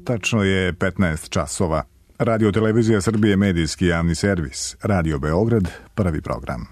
Tačno je 15 časova. Radio Televizija Srbije, medijski javni servis. Radio Beograd, prvi program.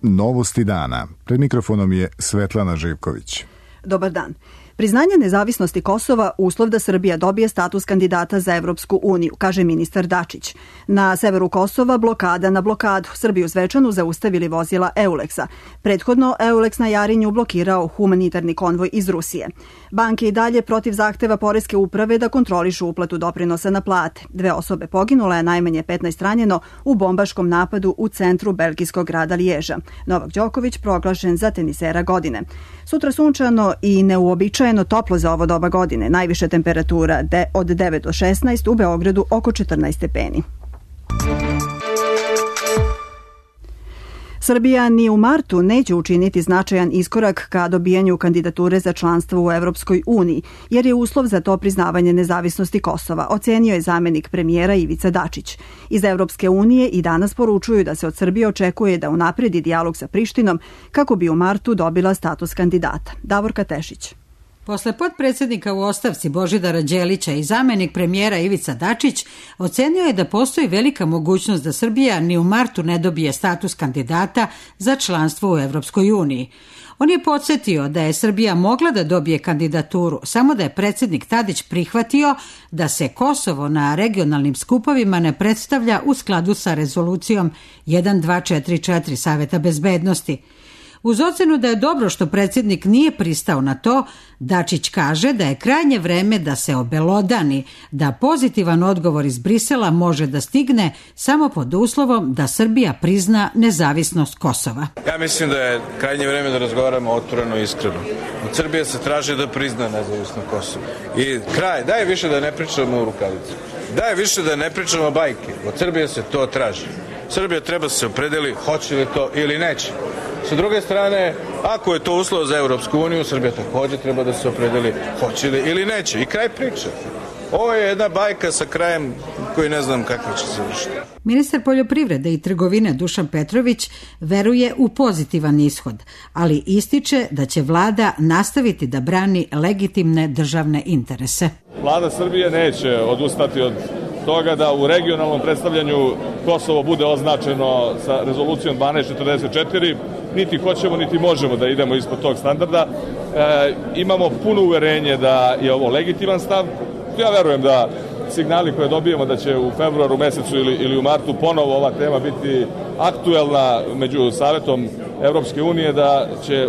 Novosti dana. Pred mikrofonom je Svetlana Živković. Dobar dan. Priznanje nezavisnosti Kosova uslov da Srbija dobije status kandidata za Evropsku uniju, kaže ministar Dačić. Na severu Kosova blokada na blokadu. Srbiju Zvečanu zaustavili vozila Euleksa. Prethodno Euleks na Jarinju blokirao humanitarni konvoj iz Rusije. Banke i dalje protiv zahteva poreske uprave da kontrolišu uplatu doprinosa na plate. 2 osobe poginule, a najmanje 15 ranjeno u bombaškom napadu u centru belgijskog grada Liježa. Novak Đoković proglašen za tenisera godine. Sutra sunčano i neuobičajeno toplo za ovo doba godine. Najviša temperatura od 9 do 16, u Beogradu oko 14 stepeni. Srbija ni u martu neće učiniti značajan iskorak ka dobijanju kandidature za članstvo u Evropskoj uniji, jer je uslov za to priznavanje nezavisnosti Kosova, ocenio je zamenik premijera Ivica Dačić. Iz Evropske unije i danas poručuju da se od Srbije očekuje da unapredi dijalog sa Prištinom kako bi u martu dobila status kandidata. Davorka Tešić. Posle potpredsjednika u ostavci Božidara Đelića i zamenik premijera Ivica Dačić ocenio je da postoji velika mogućnost da Srbija ni u martu ne dobije status kandidata za članstvo u Evropskoj uniji. On je podsjetio da je Srbija mogla da dobije kandidaturu, samo da je predsjednik Tadić prihvatio da se Kosovo na regionalnim skupovima ne predstavlja u skladu sa rezolucijom 1244 Saveta bezbednosti. Uz ocenu da je dobro što predsjednik nije pristao na to, Dačić kaže da je krajnje vreme da se obelodani da pozitivan odgovor iz Brisela može da stigne samo pod uslovom da Srbija prizna nezavisnost Kosova. Ja mislim da je krajnje vreme da razgovaramo otvoreno i iskreno. Od Srbije se traži da prizna nezavisnost Kosova. I kraj, daj više da ne pričamo u rukavicu. Daj više da ne pričamo bajke. Od Srbije se to traži. Srbija treba se opredeli hoće li to ili neće. Sa druge strane, ako je to uslov za Evropsku uniju, Srbija također treba da se opredeli hoće li ili neće. I kraj priče. Ovo je jedna bajka sa krajem koji ne znam kako će se vršiti. Ministar poljoprivrede i trgovine Dušan Petrović veruje u pozitivan ishod, ali ističe da će vlada nastaviti da brani legitimne državne interese. Vlada Srbije neće odustati od toga da u regionalnom predstavljanju Kosovo bude označeno sa rezolucijom 1244, niti hoćemo niti možemo da idemo ispod tog standarda. Imamo puno uverenje da je ovo legitiman stav. Ja verujem da signali koje dobijemo da će u februaru mesecu ili u martu ponovo ova tema biti aktuelna među Savetom Evropske unije, da će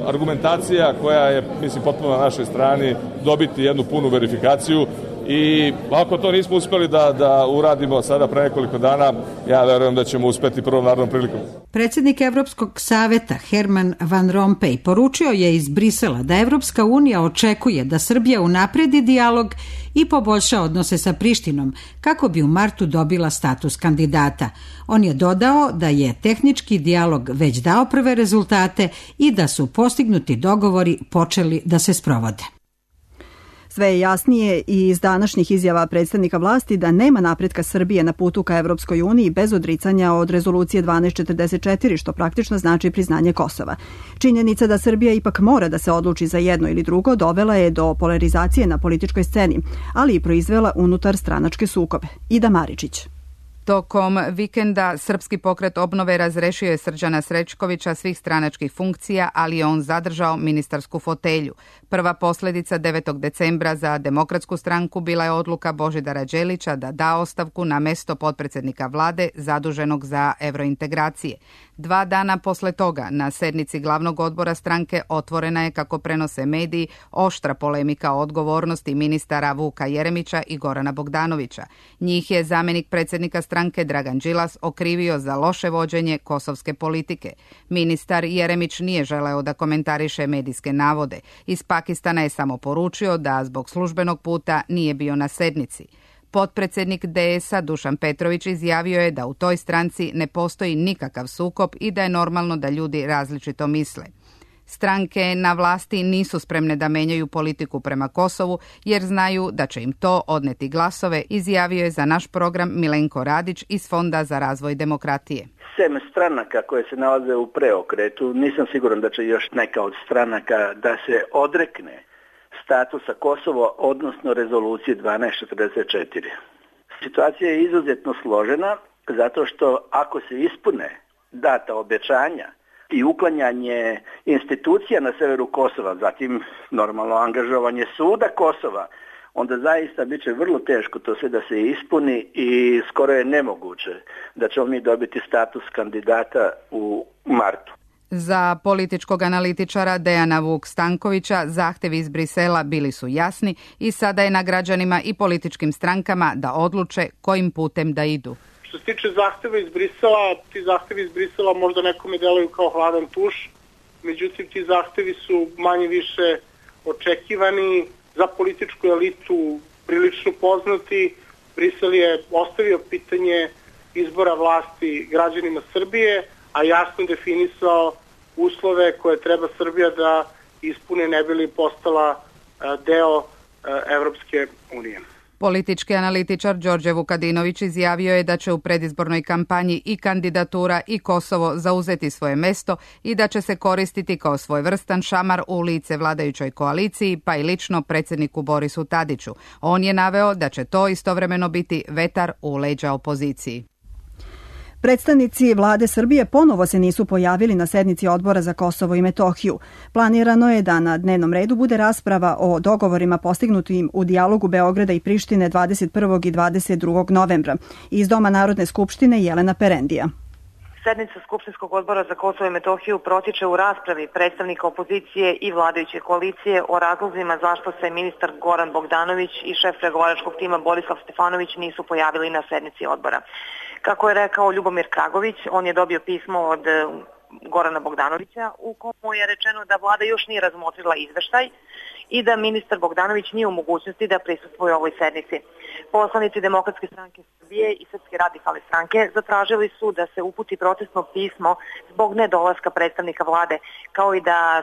argumentacija koja je, mislim, potpuno na našoj strani dobiti jednu punu verifikaciju. I ako to nismo uspeli da uradimo sada pre nekoliko dana, ja verujem da ćemo uspeti prvom narednom prilikom. Predsjednik Evropskog saveta Herman Van Rompuy poručio je iz Brisela da Evropska unija očekuje da Srbija unapredi dijalog i poboljša odnose sa Prištinom kako bi u martu dobila status kandidata. On je dodao da je tehnički dijalog već dao prve rezultate i da su postignuti dogovori počeli da se sprovode. Sve je jasnije i iz današnjih izjava predstavnika vlasti da nema napretka Srbije na putu ka Evropskoj uniji bez odricanja od rezolucije 1244, što praktično znači priznanje Kosova. Činjenica da Srbija ipak mora da se odluči za jedno ili drugo dovela je do polarizacije na političkoj sceni, ali i proizvela unutar stranačke sukobe. Ida Maričić. Tokom vikenda Srpski pokret obnove razrešio je Srđana Srećkovića svih stranačkih funkcija, ali je on zadržao ministarsku fotelju. Prva posljedica 9. decembra za Demokratsku stranku bila je odluka Božidara Đelića da da ostavku na mesto potpredsjednika vlade zaduženog za evrointegracije. 2 dana posle toga na sednici glavnog odbora stranke otvorena je, kako prenose mediji, oštra polemika o odgovornosti ministara Vuka Jeremića i Gorana Bogdanovića. Njih je zamenik predsjednika stranke Dragan Đilas okrivio za loše vođenje kosovske politike. Ministar Jeremić nije želeo da komentariše medijske navode. Iz Pakistana je samo poručio da zbog službenog puta nije bio na sednici. Potpredsjednik DS-a Dušan Petrović izjavio je da u toj stranci ne postoji nikakav sukob i da je normalno da ljudi različito misle. Stranke na vlasti nisu spremne da menjaju politiku prema Kosovu jer znaju da će im to odneti glasove, izjavio je za naš program Milenko Radić iz Fonda za razvoj demokratije. sem stranaka koje se nalaze u preokretu, nisam siguran da će još neka od stranaka da se odrekne statusa Kosova, odnosno rezolucije 1244. Situacija je izuzetno složena, zato što ako se ispune data obećanja i uklanjanje institucija na severu Kosova, zatim normalno angažovanje suda Kosova, onda zaista bit će vrlo teško to sve da se ispuni i skoro je nemoguće da ćemo mi dobiti status kandidata u martu. Za političkog analitičara Dejana Vuk-Stankovića zahtevi iz Brisela bili su jasni i sada je na građanima i političkim strankama da odluče kojim putem da idu. Što se tiče zahteva iz Brisela, ti zahtevi iz Brisela možda nekome deluju kao hladan tuš, međutim ti zahtevi su manje više očekivani, za političku elitu prilično poznati. Brisel je ostavio pitanje izbora vlasti građanima Srbije, a jasno definisao uslove koje treba Srbija da ispune ne bi li postala deo Evropske unije. Politički analitičar Đorđe Vukadinović izjavio je da će u predizbornoj kampanji i kandidatura i Kosovo zauzeti svoje mesto i da će se koristiti kao svojevrstan šamar u lice vladajućoj koaliciji, pa i lično predsjedniku Borisu Tadiću. On je naveo da će to istovremeno biti vetar u leđa opoziciji. Predstavnici vlade Srbije ponovo se nisu pojavili na sednici Odbora za Kosovo i Metohiju. Planirano je da na dnevnom redu bude rasprava o dogovorima postignutim u dijalogu Beograda i Prištine 21. i 22. novembra. Iz Doma Narodne skupštine Jelena Perendija. Sednica Skupštinskog odbora za Kosovo i Metohiju protiče u raspravi predstavnika opozicije i vladajuće koalicije o razlozima zašto se ministar Goran Bogdanović i šef pregovaračkog tima Borislav Stefanović nisu pojavili na sednici odbora. Kako je rekao Ljubomir Kragović, on je dobio pismo od Gorana Bogdanovića u komu je rečeno da vlada još nije razmotrila izveštaj i da ministar Bogdanović nije u mogućnosti da prisustvuje ovoj sednici. Poslanici Demokratske stranke Srbije i Srpske radikalne stranke zatražili su da se uputi protestno pismo zbog nedolaska predstavnika vlade, kao i da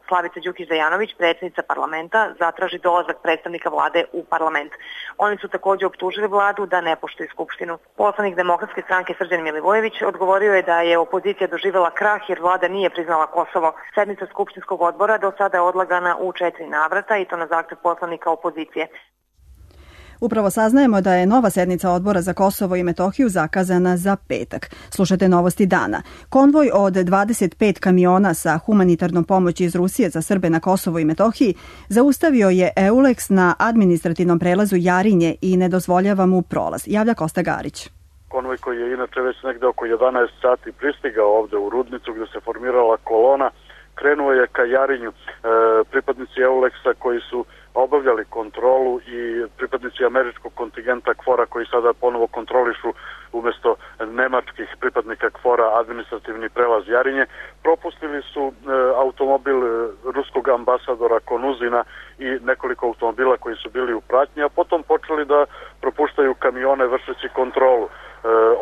Slavica Đukić-Dejanović, predsjednica parlamenta, zatraži dolazak predstavnika vlade u parlament. Oni su također optužili vladu da ne poštuje skupštinu. Poslanik Demokratske stranke Srđan Milivojević odgovorio je da je opozicija doživjela krah jer vlada nije priznala Kosovo. Sednica Skupštinskog odbora do sada je odlagana u 4 navrata i to na zahtev poslanika opozicije. Upravo saznajemo da je nova sednica Odbora za Kosovo i Metohiju zakazana za petak. Slušajte novosti dana. Konvoj od 25 kamiona sa humanitarnom pomoći iz Rusije za Srbe na Kosovo i Metohiji zaustavio je EULEX na administrativnom prelazu Jarinje i ne dozvoljava mu prolaz. Javlja Kosta Garić. Konvoj koji je inače već negde oko 11 sati pristigao ovde u Rudnicu gde se formirala kolona, krenuo je ka Jarinju. Pripadnici EULEX-a koji su obavljali kontrolu i pripadnici američkog kontingenta KFOR-a koji sada ponovo kontrolišu umjesto nemačkih pripadnika KFOR-a administrativni prelaz Jarinje, propustili su automobil ruskog ambasadora Konuzina i nekoliko automobila koji su bili u pratnji, a potom počeli da propuštaju kamione vršeći kontrolu.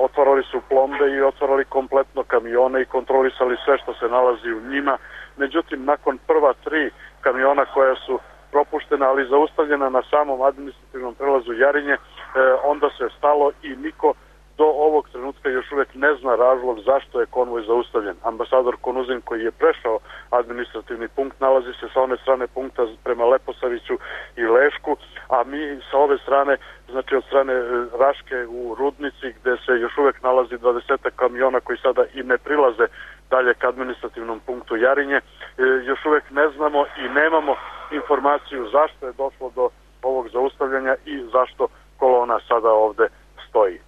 Otvarali su plombe i otvarali kompletno kamione i kontrolisali sve što se nalazi u njima. Međutim, nakon prva 3 kamiona koja su propuštena, ali zaustavljena na samom administrativnom prelazu Jarinje, onda se stalo i niko do ovog trenutka još uvijek ne zna razlog zašto je konvoj zaustavljen. Ambasador Konuzin koji je prešao administrativni punkt nalazi se sa one strane punkta prema Leposaviću i Lešku, a mi sa ove strane, znači od strane Raške u Rudnici gde se još uvijek nalazi 20 kamiona koji sada i ne prilaze dalje k administrativnom punktu Jarinje, još uvijek ne znamo i nemamo informaciju zašto je došlo do ovog zaustavljanja i zašto kolona sada ovde stoji.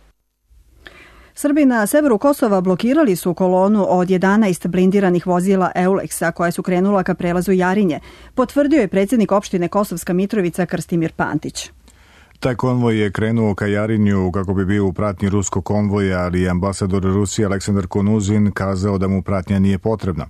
Srbi na severu Kosova blokirali su kolonu od 11 blindiranih vozila EULEX-a koja su krenula ka prelazu Jarinje, potvrdio je predsjednik opštine Kosovska Mitrovica Krstimir Pantić. Taj konvoj je krenuo ka Jarinju kako bi bio u pratnji ruskog konvoja, ali ambasador Rusije Aleksandar Konuzin kazao da mu pratnja nije potrebna.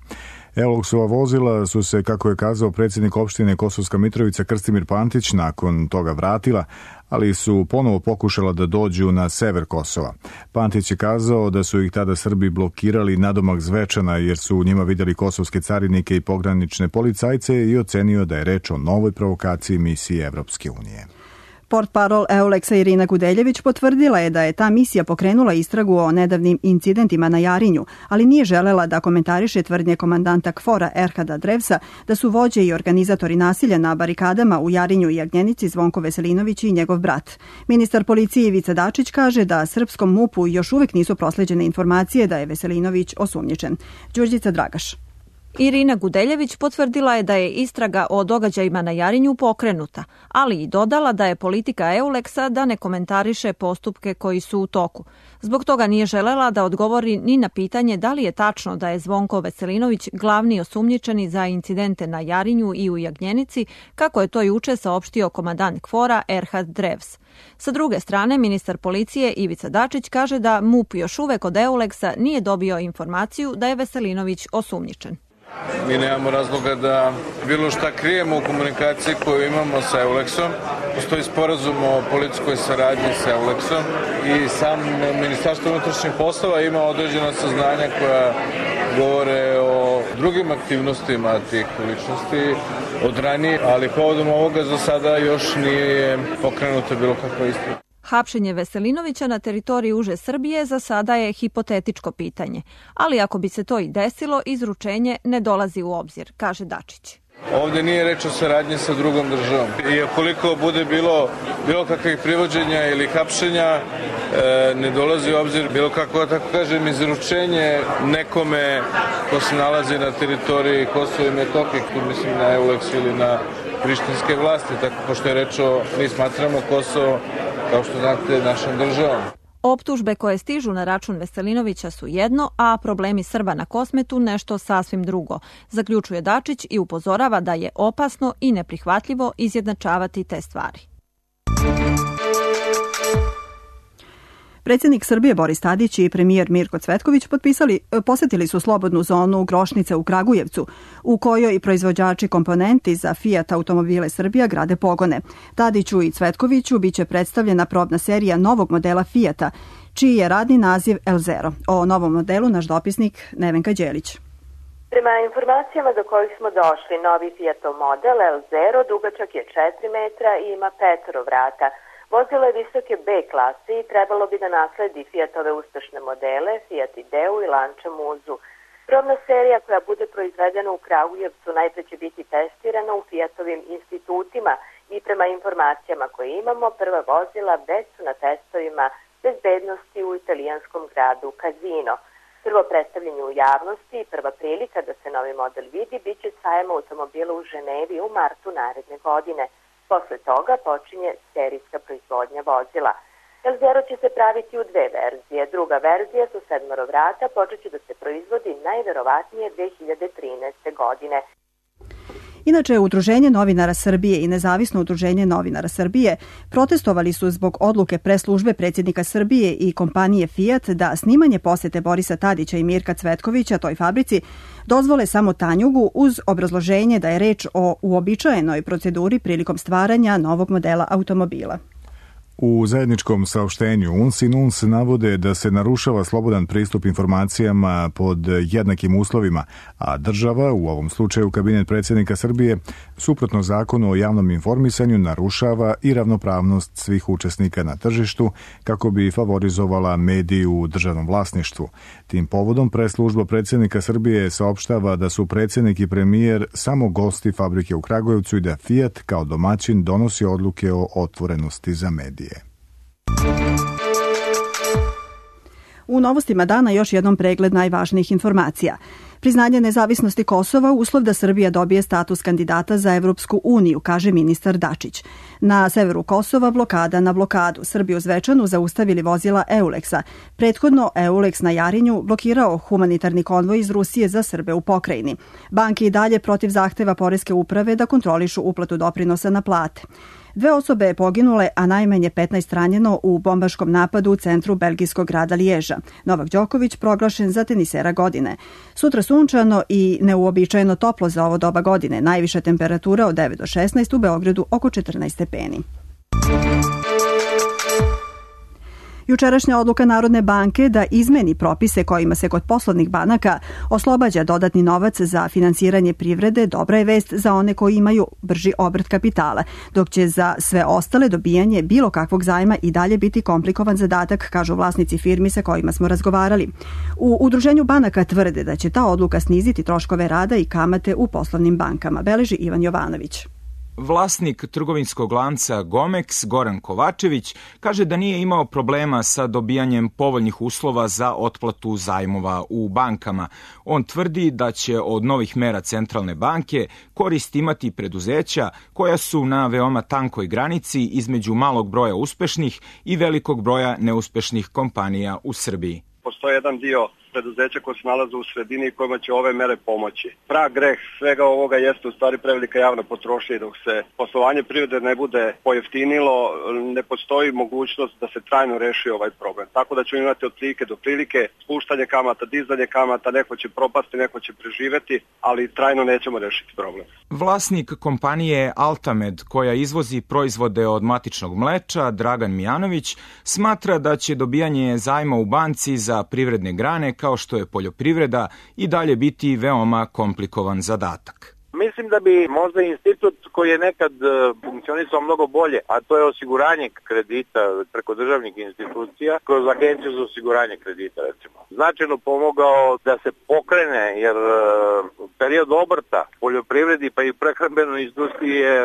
EULEX-ova vozila su se, kako je kazao predsjednik opštine Kosovska Mitrovica Krstimir Pantić, nakon toga vratila, ali su ponovo pokušala da dođu na sever Kosova. Pantić je kazao da su ih tada Srbi blokirali nadomak Zvečana jer su u njima vidjeli kosovske carinike i pogranične policajce i ocenio da je reč o novoj provokaciji misije Evropske unije. Portparol Euleksa Irina Gudeljević potvrdila je da je ta misija pokrenula istragu o nedavnim incidentima na Jarinju, ali nije želela da komentariše tvrdnje komandanta KFOR-a Erhada Drevsa da su vođe i organizatori nasilja na barikadama u Jarinju i Jagnjenici Zvonko Veselinović i njegov brat. Ministar policije Ivica Dačić kaže da srpskom MUP-u još uvek nisu prosleđene informacije da je Veselinović osumnjičen. Đurđica Dragaš. Irina Gudeljević potvrdila je da je istraga o događajima na Jarinju pokrenuta, ali i dodala da je politika Euleksa da ne komentariše postupke koji su u toku. Zbog toga nije želela da odgovori ni na pitanje da li je tačno da je Zvonko Veselinović glavni osumnjičeni za incidente na Jarinju i u Jagnjenici, kako je to juče saopštio komandant KFOR-a Erhad Drevs. Sa druge strane, ministar policije Ivica Dačić kaže da MUP još uvek od Euleksa nije dobio informaciju da je Veselinović osumnjičen. Mi nemamo razloga da bilo šta krijemo u komunikaciji koju imamo sa Euleksom. Postoji sporazum o policijskoj saradnji sa Euleksom i sam Ministarstvo unutrašnjih poslova ima određena saznanja koja govore o drugim aktivnostima tih ličnosti od ranije, ali povodom ovoga za sada još nije pokrenuta bilo kakva istraga. Hapšenje Veselinovića na teritoriji uže Srbije za sada je hipotetičko pitanje, ali ako bi se to i desilo, izručenje ne dolazi u obzir, kaže Dačić. Ovdje nije reč o saradnji sa drugom državom. I ukoliko bude bilo kakvih privođenja ili hapšenja, ne dolazi u obzir bilo kako, tako kažem, izručenje nekome ko se nalazi na teritoriji Kosova i Metohije, tu mislim na Euleks ili na prištinske vlasti, tako pošto je reč o, mi smatramo Kosovo, kao što znate, našom državom. Optužbe koje stižu na račun Veselinovića su jedno, a problemi Srba na Kosmetu nešto sasvim drugo, zaključuje Dačić i upozorava da je opasno i neprihvatljivo izjednačavati te stvari. Predsjednik Srbije Boris Tadić i premijer Mirko Cvetković posetili su slobodnu zonu Grošnice u Kragujevcu, u kojoj proizvođači komponenti za Fiat automobile Srbija grade pogone. Tadiću i Cvetkoviću biće predstavljena probna serija novog modela Fiata, čiji je radni naziv L0. O novom modelu naš dopisnik Nevenka Đelić. Prema informacijama do kojih smo došli, novi Fiatov model L0 dugačak je 4 metra i ima 5 vrata. Vozilo je visoke B klase i trebalo bi da nasledi Fiatove uspešne modele, Fiat Ideu i Lancia Muzu. Probna serija koja bude proizvedena u Kragujevcu najpre će biti testirana u Fiatovim institutima i prema informacijama koje imamo, prva vozila već su na testovima bezbednosti u italijanskom gradu Casino. Prvo predstavljanje u javnosti i prva prilika da se novi model vidi biće sajam automobila u Ženevi u martu naredne godine. Posle toga počinje serijska proizvodnja vozila. L0 će se praviti u 2 verzije. Druga verzija su 7 vrata, počet će da se proizvodi najverovatnije 2013. godine. Inače, Udruženje novinara Srbije i Nezavisno udruženje novinara Srbije protestovali su zbog odluke preslužbe predsjednika Srbije i kompanije Fiat da snimanje posete Borisa Tadića i Mirka Cvetkovića toj fabrici dozvole samo Tanjugu uz obrazloženje da je reč o uobičajenoj proceduri prilikom stvaranja novog modela automobila. U zajedničkom saopštenju UNS i NUNS navode da se narušava slobodan pristup informacijama pod jednakim uslovima, a država, u ovom slučaju kabinet predsjednika Srbije, suprotno zakonu o javnom informisanju narušava i ravnopravnost svih učesnika na tržištu kako bi favorizovala mediji u državnom vlasništvu. Tim povodom preslužba predsjednika Srbije saopštava da su predsjednik i premijer samo gosti fabrike u Kragujevcu i da Fiat kao domaćin donosi odluke o otvorenosti za medije. U novostima dana još jednom pregled najvažnijih informacija. Priznanje nezavisnosti Kosova uslov da Srbija dobije status kandidata za Evropsku uniju, kaže ministar Dačić. Na severu Kosova blokada na blokadu. Srbiju Zvečanu zaustavili vozila Euleksa. Prethodno Euleks na Jarinju blokirao humanitarni konvoj iz Rusije za Srbe u pokrajini. Banke i dalje protiv zahteva poreske uprave da kontrolišu uplatu doprinosa na plate. 2 osobe je poginule, a najmanje 15 ranjeno u bombaškom napadu u centru belgijskog grada Liježa. Novak Đoković proglašen za tenisera godine. Sutra sunčano i neuobičajeno toplo za ovo doba godine. Najviša temperatura od 9 do 16, u Beogradu oko 14 stepeni. Jučerašnja odluka Narodne banke da izmeni propise kojima se kod poslovnih banaka oslobađa dodatni novac za finansiranje privrede dobra je vest za one koji imaju brži obrt kapitala, dok će za sve ostale dobijanje bilo kakvog zajma i dalje biti komplikovan zadatak, kažu vlasnici firmi sa kojima smo razgovarali. U Udruženju banaka tvrde da će ta odluka sniziti troškove rada i kamate u poslovnim bankama, beleži Ivan Jovanović. Vlasnik trgovinskog lanca Gomex, Goran Kovačević, kaže da nije imao problema sa dobijanjem povoljnih uslova za otplatu zajmova u bankama. On tvrdi da će od novih mera centralne banke korist imati preduzeća koja su na veoma tankoj granici između malog broja uspešnih i velikog broja neuspešnih kompanija u Srbiji. Postoji jedan dio preduzeća koje se nalaze u sredini i kojima će ove mere pomoći. Prag greh svega ovoga jeste u stvari prevelika javna potrošnja i dok se poslovanje privrede ne bude pojeftinilo, ne postoji mogućnost da se trajno reši ovaj problem. Tako da ćemo imati od prilike do prilike spuštanje kamata, dizanje kamata, neko će propasti, neko će preživeti, ali trajno nećemo rešiti problem. Vlasnik kompanije Altamed, koja izvozi proizvode od matičnog mleča, Dragan Mijanović, smatra da će dobijanje zajma u banci za privredne grane kao što je poljoprivreda i dalje biti veoma komplikovan zadatak. Mislim da bi možda institut koji je nekad funkcionisao mnogo bolje, a to je osiguranje kredita preko državnih institucija, kroz agenciju za osiguranje kredita recimo, značajno pomogao da se pokrene, jer period obrta poljoprivredi pa i prehrambenoj industriji je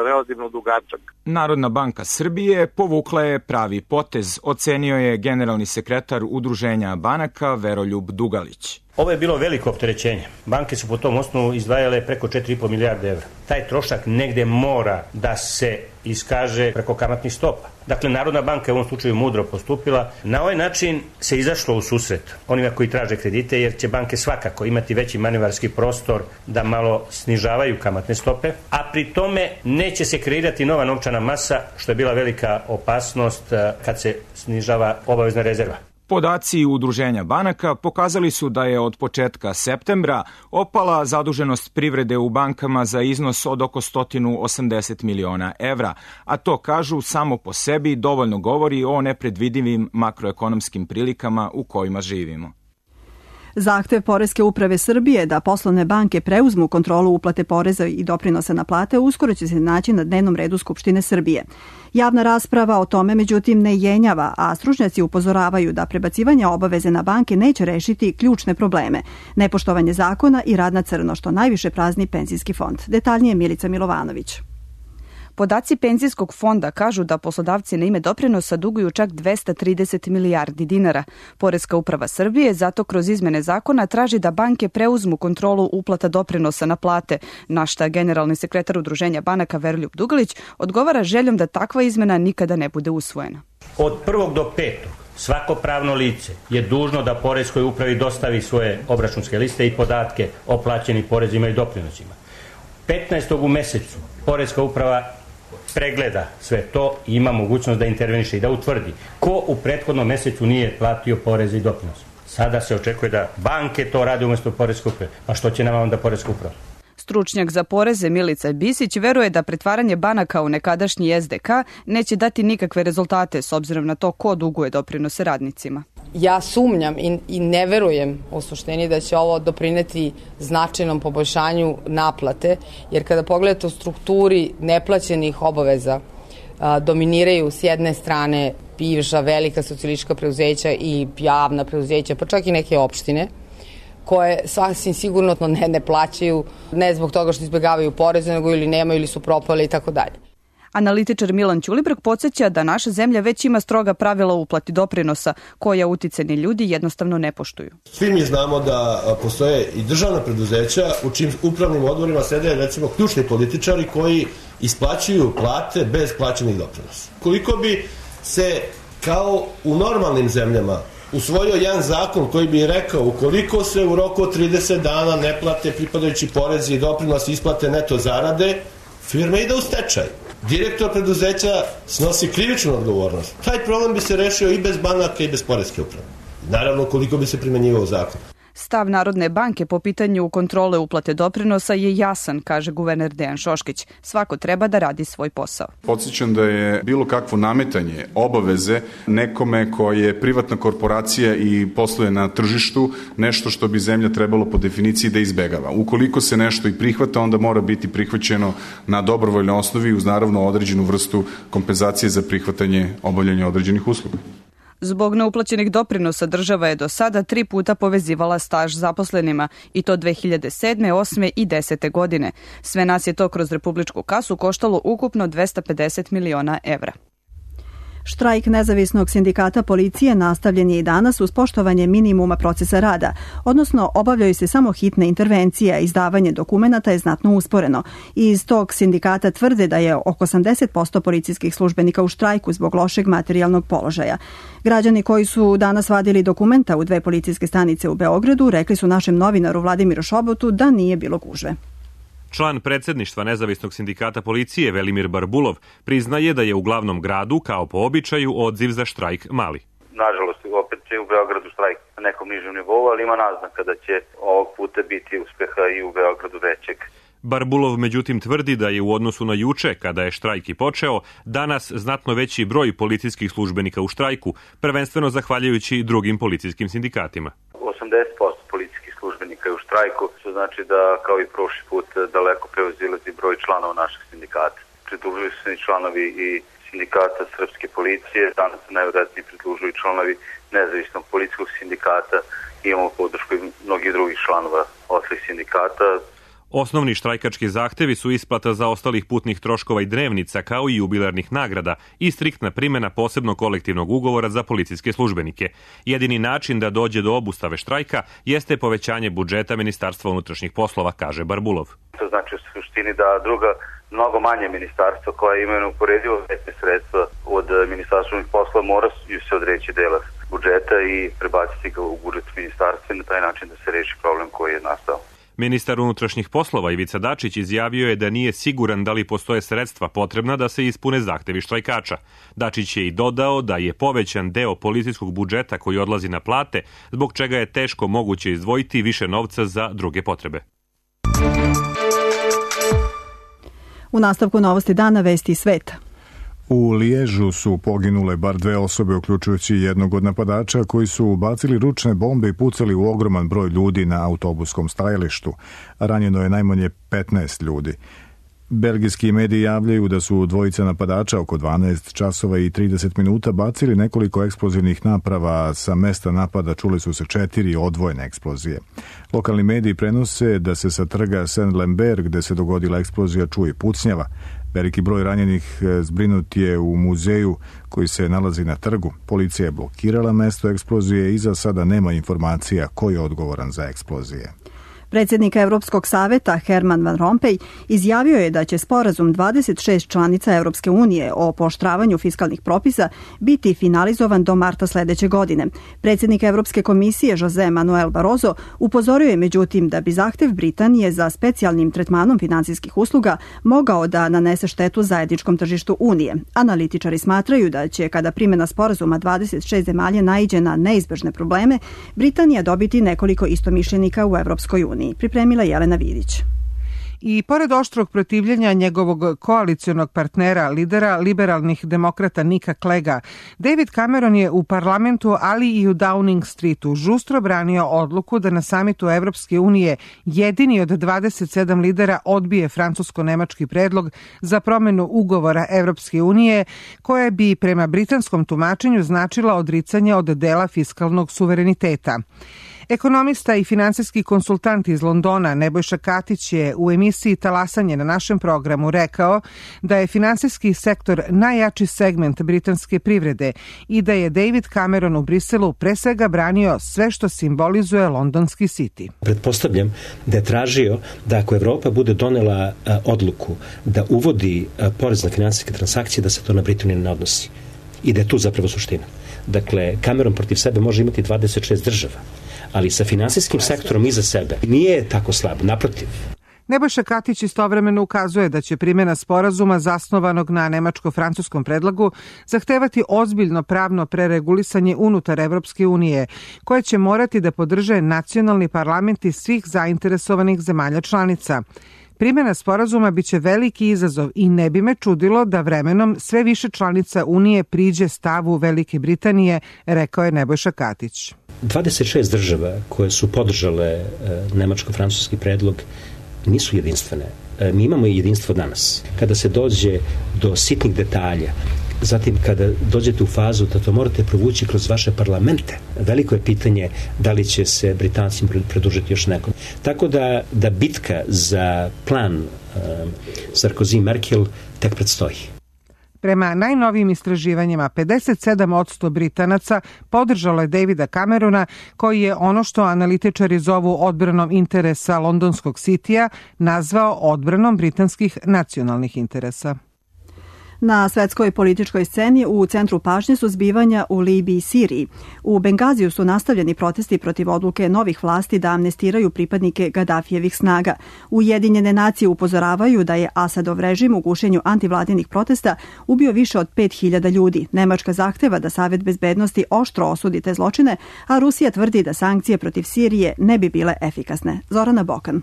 relativno dugačak. Narodna banka Srbije povukla je pravi potez, ocenio je generalni sekretar Udruženja banaka Veroljub Dugalić. Ovo je bilo veliko opterećenje. Banke su po tom osnovu izdvajale preko 4,5 milijarde evra. Taj trošak negde mora da se iskaže preko kamatnih stopa. Dakle, Narodna banka je u ovom slučaju mudro postupila. Na ovaj način se izašlo u susret onima koji traže kredite, jer će banke svakako imati veći manevarski prostor da malo snižavaju kamatne stope, a pri tome neće se kreirati nova novčana masa, što je bila velika opasnost kad se snižava obavezna rezerva. Podaci Udruženja banaka pokazali su da je od početka septembra opala zaduženost privrede u bankama za iznos od oko 180 miliona evra, a to, kažu, samo po sebi dovoljno govori o nepredvidivim makroekonomskim prilikama u kojima živimo. Zahtev Poreske uprave Srbije da poslovne banke preuzmu kontrolu uplate poreza i doprinosa na plate uskoro će se naći na dnevnom redu Skupštine Srbije. Javna rasprava o tome međutim ne jenjava, a stručnjaci upozoravaju da prebacivanje obaveze na banke neće rešiti ključne probleme, nepoštovanje zakona i rad na crno, što najviše prazni penzijski fond. Detaljnije Milica Milovanović. Podaci penzijskog fonda kažu da poslodavci na ime doprinosa duguju čak 230 milijardi dinara. Poreska uprava Srbije zato kroz izmene zakona traži da banke preuzmu kontrolu uplata doprinosa na plate, na šta generalni sekretar Udruženja banaka Veroljub Dugalić odgovara željom da takva izmena nikada ne bude usvojena. Od 1. do 5. svako pravno lice je dužno da Poreskoj upravi dostavi svoje obračunske liste i podatke o plaćenim porezima i doprinosima. 15. u mesecu Poreska uprava pregleda sve to i ima mogućnost da interveniše i da utvrdi ko u prethodnom mesecu nije platio poreze i doprinose. Sada se očekuje da banke to rade umjesto Poreske uprave. Pa što će nama onda Poreska uprava? Stručnjak za poreze Milica Bisić veruje da pretvaranje banaka u nekadašnji SDK neće dati nikakve rezultate s obzirom na to ko duguje doprinose radnicima. Ja sumnjam i ne verujem u suštini da će ovo doprineti značajnom poboljšanju naplate, jer kada pogledate u strukturi neplaćenih obaveza, dominiraju s jedne strane bivša velika socijalistička preduzeća i javna preduzeća, pa čak i neke opštine, koje sasvim sigurno ne plaćaju, ne zbog toga što izbjegavaju poreze, nego ili nemaju ili su propale i tako dalje. Analitičar Milan Ćulibrk podsjeća da naša zemlja već ima stroga pravila o uplati doprinosa, koja uticajni ljudi jednostavno ne poštuju. Svi mi znamo da postoje i državna preduzeća u čim upravnim odborima sede recimo ključni političari koji isplaćuju plate bez plaćenih doprinosa. Koliko bi se kao u normalnim zemljama usvojio jedan zakon koji bi rekao ukoliko se u roku od 30 dana ne plate pripadajući porezi i doprinosi isplate neto zarade, firma ide u stečaj. Direktor preduzeća snosi krivičnu odgovornost. Taj problem bi se rešio i bez banaka i bez Poreske uprave. Naravno, koliko bi se primenjivao zakon. Stav Narodne banke po pitanju kontrole uplate doprinosa je jasan, kaže guverner Dejan Šoškić. Svako treba da radi svoj posao. Podsjećam da je bilo kakvo nametanje obaveze nekome ko je privatna korporacija i posluje na tržištu nešto što bi zemlja trebalo po definiciji da izbegava. Ukoliko se nešto i prihvata, onda mora biti prihvaćeno na dobrovoljnoj osnovi uz naravno određenu vrstu kompenzacije za prihvatanje obavljanja određenih usluga. Zbog neuplaćenih doprinosa država je do sada 3 puta povezivala staž zaposlenima i to 2007., 8. i 10. godine. Sve nas je to kroz republičku kasu koštalo ukupno 250 miliona evra. Štrajk nezavisnog sindikata policije nastavljen je i danas uz poštovanje minimuma procesa rada, odnosno obavljaju se samo hitne intervencije, a izdavanje dokumenata je znatno usporeno. Iz tog sindikata tvrde da je oko 80% policijskih službenika u štrajku zbog lošeg materijalnog položaja. Građani koji su danas vadili dokumenta u 2 policijske stanice u Beogradu rekli su našem novinaru Vladimiru Šobotu da nije bilo gužve. Član predsedništva nezavisnog sindikata policije Velimir Barbulov priznaje da je u glavnom gradu, kao po običaju, odziv za štrajk mali. Nažalost, opet će u Beogradu štrajk na nekom nižem nivou, ali ima naznaka da će ovog puta biti uspeha i u Beogradu većeg. Barbulov međutim tvrdi da je u odnosu na juče, kada je štrajk i počeo, danas znatno veći broj policijskih službenika u štrajku, prvenstveno zahvaljujući drugim policijskim sindikatima. 80% policijskih službenika je u štrajku, što znači da kao i prošli put daleko prevazilazi broj članova našeg sindikata. Pridružuju se i članovi i sindikata srpske policije, danas se najvjerojatnije pridružuju i članovi nezavisnog policijskog sindikata, imamo podršku i mnogih drugih članova ostalih sindikata. Osnovni štrajkački zahtevi su isplata zaostalih putnih troškova i dnevnica, kao i jubilarnih nagrada i striktna primjena posebnog kolektivnog ugovora za policijske službenike. Jedini način da dođe do obustave štrajka jeste povećanje budžeta Ministarstva unutrašnjih poslova, kaže Barbulov. To znači u suštini da druga, mnogo manje ministarstva koja imaju neuporedivo veće sredstva od Ministarstva unutrašnjih poslova mora se odreći dela budžeta i prebaciti ga u budžet ministarstva i na taj način da se reši problem koji je nastao. Ministar unutrašnjih poslova Ivica Dačić izjavio je da nije siguran da li postoje sredstva potrebna da se ispune zahtevi štrajkača. Dačić je i dodao da je povećan deo policijskog budžeta koji odlazi na plate, zbog čega je teško moguće izdvojiti više novca za druge potrebe. U nastavku novosti dana vesti sveta. U Liježu su poginule bar 2 osobe, uključujući jednog od napadača koji su bacili ručne bombe i pucali u ogroman broj ljudi na autobuskom stajalištu. Ranjeno je najmanje 15 ljudi. Belgijski mediji javljaju da su dvojica napadača oko 12 časova i 30 minuta bacili nekoliko eksplozivnih naprava. Sa mesta napada čuli su se 4 odvojene eksplozije. Lokalni mediji prenose da se sa trga Saint-Lambert, gde se dogodila eksplozija, čuje pucnjava. Veliki broj ranjenih zbrinut je u muzeju koji se nalazi na trgu. Policija je blokirala mesto eksplozije i za sada nema informacija ko je odgovoran za eksplozije. Predsjednik Evropskog saveta Herman Van Rompuy izjavio je da će sporazum 26 članica Europske unije o pooštravanju fiskalnih propisa biti finalizovan do marta sledeće godine. Predsjednik Evropske komisije Jose Manuel Barroso upozorio je međutim da bi zahtev Britanije za specijalnim tretmanom finansijskih usluga mogao da nanese štetu zajedničkom tržištu Unije. Analitičari smatraju da će, kada primjena sporazuma 26 zemalja naiđe na neizbežne probleme, Britanija dobiti nekoliko istomišljenika u Evropskoj uniji. Pripremila Jelena Vidić. I pored oštrog protivljenja njegovog koalicionog partnera, lidera liberalnih demokrata Nika Clegga, David Cameron je u parlamentu, ali i u Downing Streetu žustro branio odluku da na samitu Evropske unije jedini od 27 lidera odbije francusko-nemački predlog za promenu ugovora Evropske unije, koje bi prema britanskom tumačenju značila odricanje od dela fiskalnog suvereniteta. Ekonomista i finansijski konsultant iz Londona Nebojša Katić je u emisiji Talasanje na našem programu rekao da je finansijski sektor najjači segment britanske privrede i da je David Cameron u Briselu pre svega branio sve što simbolizuje londonski City. Pretpostavljam da je tražio da ako Evropa bude donela odluku da uvodi porez na finansijske transakcije, da se to na Britaniju ne odnosi. I da je tu zapravo suština. Dakle, Cameron protiv sebe može imati 26 država, ali sa finansijskim sektorom iza sebe nije tako slab, naprotiv. Nebojša Katić istovremeno ukazuje da će primjena sporazuma zasnovanog na nemačko-francuskom predlogu zahtevati ozbiljno pravno preregulisanje unutar Evropske unije, koje će morati da podrže nacionalni parlamenti svih zainteresovanih zemalja članica. Primjena sporazuma biće veliki izazov i ne bi me čudilo da vremenom sve više članica Unije priđe stavu Velike Britanije, rekao je Nebojša Katić. 26 država koje su podržale nemačko-francuski predlog nisu jedinstvene. Mi imamo i jedinstvo danas. Kada se dođe do sitnih detalja, zatim kada dođete u fazu da to morate provući kroz vaše parlamente, veliko je pitanje da li će se Britancima pridružiti još nekom. Tako da bitka za plan Sarkozy-Merkel tek predstoji. Prema najnovijim istraživanjima, 57% Britanaca podržalo je Davida Camerona, koji je ono što analitičari zovu odbranom interesa londonskog Citya nazvao odbranom britanskih nacionalnih interesa. Na svetskoj političkoj sceni u centru pažnje su zbivanja u Libiji i Siriji. U Bengaziju su nastavljeni protesti protiv odluke novih vlasti da amnestiraju pripadnike Gadafijevih snaga. Ujedinjene nacije upozoravaju da je Asadov režim u gušenju antivladinih protesta ubio više od 5000 ljudi. Nemačka zahteva da Savet bezbednosti oštro osudi te zločine, a Rusija tvrdi da sankcije protiv Sirije ne bi bile efikasne. Zorana Bokan.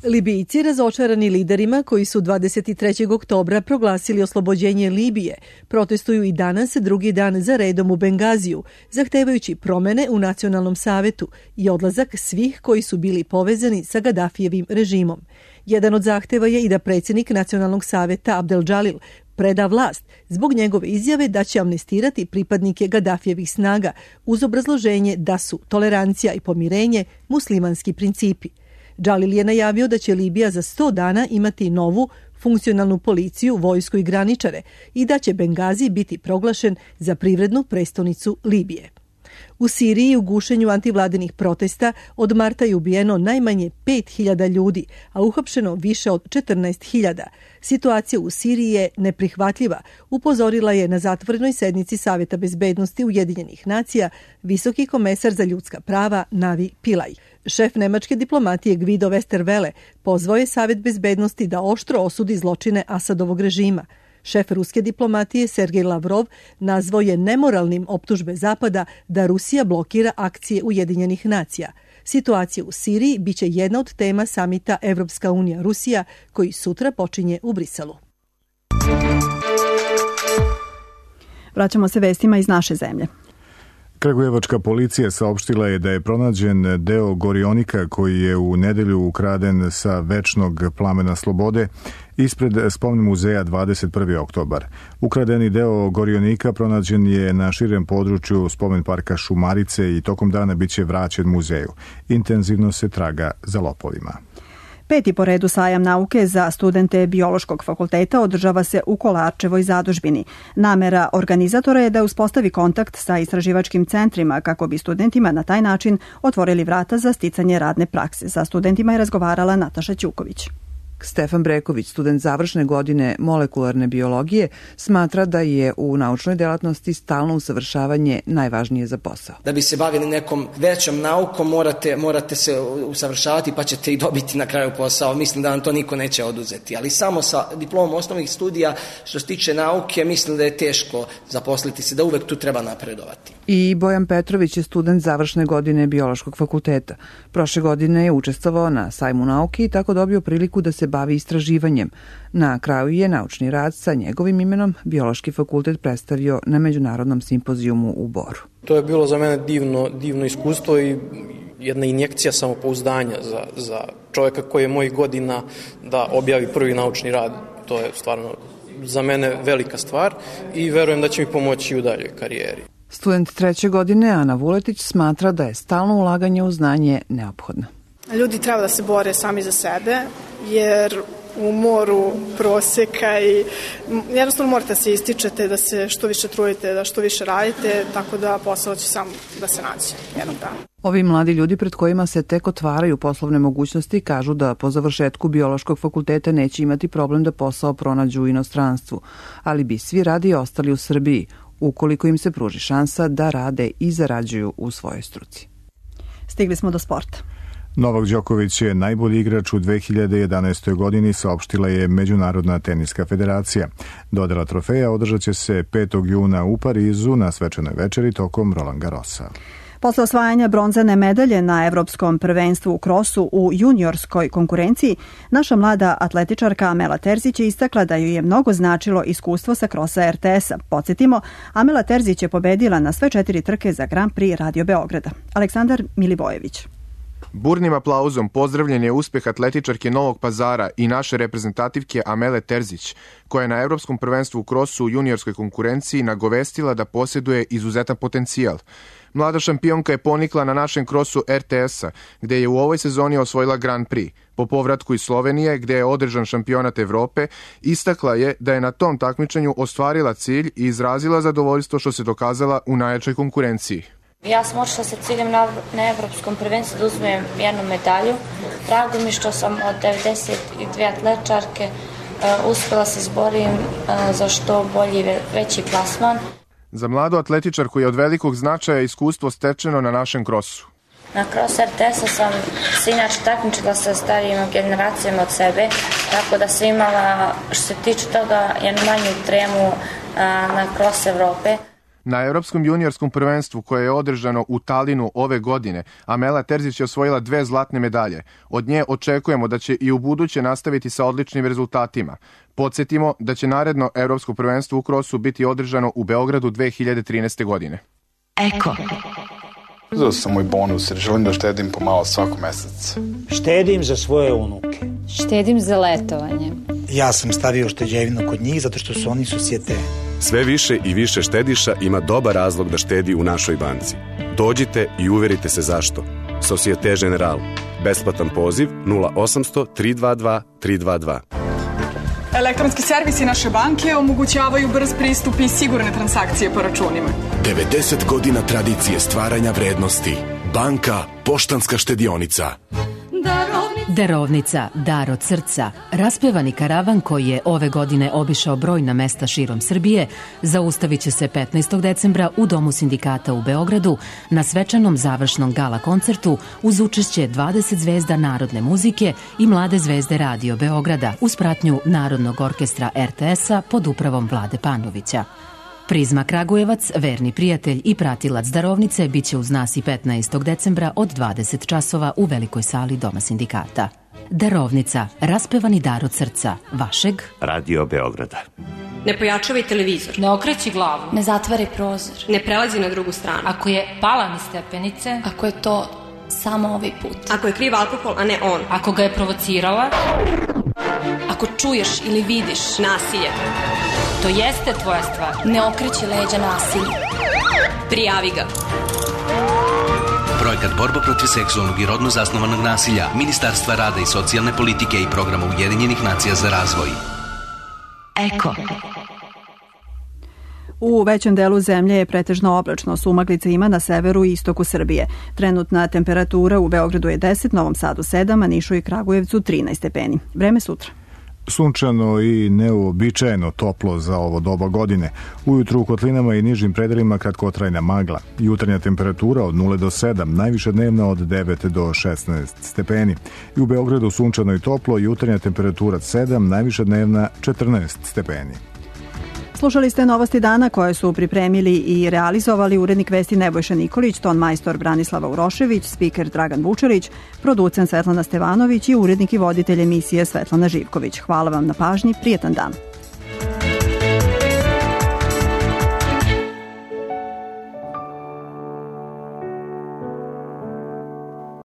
Libijci, razočarani liderima koji su 23. oktobra proglasili oslobođenje Libije, protestuju i danas drugi dan za redom u Bengaziju, zahtevajući promene u Nacionalnom savetu i odlazak svih koji su bili povezani sa Gadafijevim režimom. Jedan od zahteva je i da predsjednik Nacionalnog saveta Abdel Džalil preda vlast zbog njegove izjave da će amnestirati pripadnike Gadafijevih snaga uz obrazloženje da su tolerancija i pomirenje muslimanski principi. Džalil je najavio da će Libija za 100 dana imati novu funkcionalnu policiju, vojsku i graničare i da će Bengazi biti proglašen za privrednu prestonicu Libije. U Siriji u gušenju antivladinih protesta od marta je ubijeno najmanje 5000 ljudi, a uhapšeno više od 14.000. Situacija u Siriji je neprihvatljiva, upozorila je na zatvorenoj sednici Saveta bezbednosti Ujedinjenih nacija visoki komesar za ljudska prava Navi Pillay. Šef nemačke diplomatije Guido Westerwelle pozvao je Savet bezbednosti da oštro osudi zločine Asadovog režima. Šef ruske diplomatije Sergej Lavrov nazvao je nemoralnim optužbe Zapada da Rusija blokira akcije Ujedinjenih nacija. Situacija u Siriji biće jedna od tema samita Evropska unija-Rusija koji sutra počinje u Briselu. Vraćamo se vestima iz naše zemlje. Kragujevačka policija saopštila je da je pronađen deo gorionika koji je u nedelju ukraden sa večnog plamena slobode ispred spomen muzeja 21. oktobar. Ukradeni deo gorionika pronađen je na širem području spomen parka Šumarice i tokom dana biće vraćen muzeju. Intenzivno se traga za lopovima. 5. po redu sajam nauke za studente Biološkog fakulteta održava se u Kolarčevoj zadužbini. Namera organizatora je da uspostavi kontakt sa istraživačkim centrima kako bi studentima na taj način otvorili vrata za sticanje radne prakse. Sa studentima je razgovarala Nataša Ćuković. Stefan Breković, student završne godine molekularne biologije, smatra da je u naučnoj delatnosti stalno usavršavanje najvažnije za posao. Da bi se bavili nekom većom naukom morate se usavršavati pa ćete i dobiti na kraju posao. Mislim da vam to niko neće oduzeti, ali samo sa diplomom osnovnih studija što se tiče nauke mislim da je teško zaposliti se, da uvek tu treba napredovati. I Bojan Petrović je student završne godine Biološkog fakulteta. Prošle godine je učestvovao na sajmu nauke i tako dobio priliku da se bavi istraživanjem. Na kraju je naučni rad sa njegovim imenom Biološki fakultet predstavio na međunarodnom simpozijumu u Boru. To je bilo za mene divno iskustvo i jedna injekcija samopouzdanja za čovjeka koji je mojih godina da objavi prvi naučni rad. To je stvarno za mene velika stvar i verujem da će mi pomoći u daljoj karijeri. Student 3. godine Ana Vuletić smatra da je stalno ulaganje u znanje neophodno. Ljudi treba da se bore sami za sebe, jer u moru proseka i jednostavno morate da se ističete, da se što više trudite, da što više radite, tako da posao će sam da se nađe jednog dana. Ovi mladi ljudi pred kojima se tek otvaraju poslovne mogućnosti kažu da po završetku Biološkog fakulteta neće imati problem da posao pronađu u inostranstvu, ali bi svi radi ostali u Srbiji, ukoliko im se pruži šansa da rade i zarađuju u svojoj struci. Stigli smo do sporta. Novak Đoković je najbolji igrač u 2011. godini, saopštila je Međunarodna teniska federacija. Dodela trofeja održat će se 5. juna u Parizu na svečanoj večeri tokom Roland Garrosa. Posle osvajanja bronzane medalje na Evropskom prvenstvu u krosu u juniorskoj konkurenciji, naša mlada atletičarka Amela Terzić je istakla da joj je mnogo značilo iskustvo sa krosa RTS-a. Podsjetimo, Amela Terzić je pobedila na sve 4 trke za Grand Prix Radio Beograda. Aleksandar Milivojević. Burnim aplauzom pozdravljen je uspeh atletičarke Novog Pazara i naše reprezentativke Amele Terzić, koja je na Evropskom prvenstvu u krosu u juniorskoj konkurenciji nagovestila da posjeduje izuzetan potencijal. Mlada šampionka je ponikla na našem krosu RTS-a, gde je u ovoj sezoni osvojila Grand Prix. Po povratku iz Slovenije, gde je održan šampionat Evrope, istakla je da je na tom takmičenju ostvarila cilj i izrazila zadovoljstvo što se dokazala u najjačoj konkurenciji. Ja sam otišla sa ciljem na Evropskom prvenstvu da uzmem jednu medalju. Drago mi što sam od 92 atletičarke uspela se izborim za što bolji veći plasman. Za mladu atletičarku je od velikog značaja iskustvo stečeno na našem krosu. Na krosu RTS-a sam se inače takmičila sa starijim generacijama od sebe, tako da sam imala, što se tiče toga, jednu manju tremu na krosu Evrope. Na Evropskom juniorskom prvenstvu koje je održano u Talinu ove godine, Amela Terzić je osvojila 2 zlatne medalje. Od nje očekujemo da će i u buduće nastaviti sa odličnim rezultatima. Podsjetimo da će naredno Evropsko prvenstvo u krosu biti održano u Beogradu 2013. godine. Eko. Uzeo sam moj bonus jer želim da štedim pomalo svakog meseca. Štedim za svoje unuke. Štedim za letovanje. Ja sam stavio šteđevinu kod njih zato što su oni susjete. Sve više i više štediša ima dobar razlog da štedi u našoj banci. Dođite i uverite se zašto. Societe Generale. Besplatan poziv 0800 322 322. Elektronski servisi naše banke omogućavaju brz pristup i sigurne transakcije po računima. 90 godina tradicije stvaranja vrednosti. Banka Poštanska štedionica. Darovnica, dar od srca. Raspevani karavan koji je ove godine obišao brojna mesta širom Srbije zaustavit će se 15. decembra u Domu sindikata u Beogradu na svečanom završnom gala koncertu uz učešće 20 zvezda narodne muzike i mlade zvezde Radio Beograda uz pratnju Narodnog orkestra RTS-a pod upravom Vlade Panovića. Prizma Kragujevac, verni prijatelj i pratilac darovnice, bit će uz nas i 15. decembra od 20 časova u velikoj sali Doma sindikata. Darovnica, raspevani dar od srca, vašeg Radio Beograda. Ne pojačavaj televizor. Ne okreći glavu. Ne zatvaraj prozor. Ne prelazi na drugu stranu. Ako je pala niz stepenice. Ako je to samo ovaj put. Ako je kriv alkohol, a ne on. Ako ga je provocirala. Ako čuješ ili vidiš nasilje. To jeste tvoja stvar. Ne okreći leđa nasilju. Prijavi ga. Projekat Borba protiv seksualnog i rodno zasnovanog nasilja Ministarstva rada i socijalne politike i programa Ujedinjenih nacija za razvoj. Eko. U većem delu zemlje je pretežno oblačno, sumaglice ima na severu i istoku Srbije. Trenutna temperatura u Beogradu je 10, Novom Sadu 7, a Nišu i Kragujevcu 13 stepeni. Vreme sutra. Sunčano i neuobičajeno toplo za ovo doba godine. Ujutru u kotlinama i nižim predelima kratkotrajna magla. Jutarnja temperatura od 0 do 7, najviša dnevna od 9 do 16 stepeni. I u Beogradu sunčano i toplo, jutarnja temperatura 7, najviša dnevna 14 stepeni. Slušali ste novosti dana koje su pripremili i realizovali urednik vesti Nebojša Nikolić, ton majstor Branislava Urošević, spiker Dragan Vučerić, producent Svetlana Stevanović i urednik i voditelj emisije Svetlana Živković. Hvala vam na pažnji, prijetan dan.